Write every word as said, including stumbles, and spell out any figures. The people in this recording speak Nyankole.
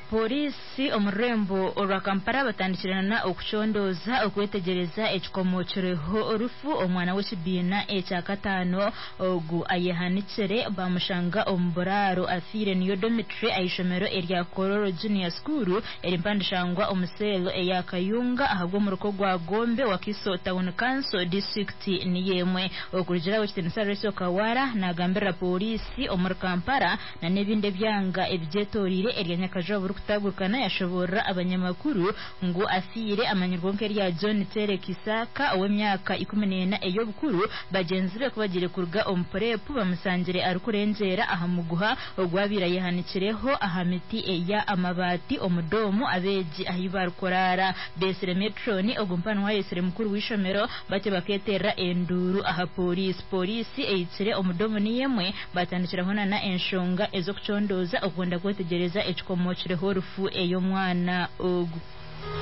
Pooriisi omu rurembo orwa Kampala batandikire na okucondooza okwetegyereza ekikomokireho orufu omwana w'ekibiina ekya kataano ogu ayehanikire bamushanga omu buraaro afiire niyo dormitory ah'eishomero erya Kololo Junior School eri mpandishangwa omu cell eya Kayunga ahabw'omuruka ogwa Gombe Wakiso Town Council district niyo emwe. Okurugira aho Ekitiinisa Rachel Kawala nagambirira pooriisi omuri Kampala na n'ebindi ebyanga ebigyetoreire erya Nyakajwa burikutagurikana yashoborera abanyamakuru ngu afiire amanyirweho nk'erya John Tere Kisaka ow'emyaka ikumi n'ena ey'obukuru. Bagyenzi be kubagiire kuruga omu purepu bamusangire arikurengyera aha muguha ogwabaire ayehanikireho aha miti eya amabaati omu doomu abeegi ahi barikuraara. Beesire metroni ogu mpanu ayesire mukuru w'eishomero batyo bakeeterera enduuru aha pooriisi. Pooriisi ehikire omu doomu niyo emwe batandikiraho nana enshonga ez'okucondooza okwenda kwetegyereza ekikomokireho orufu ey'omwana ogu.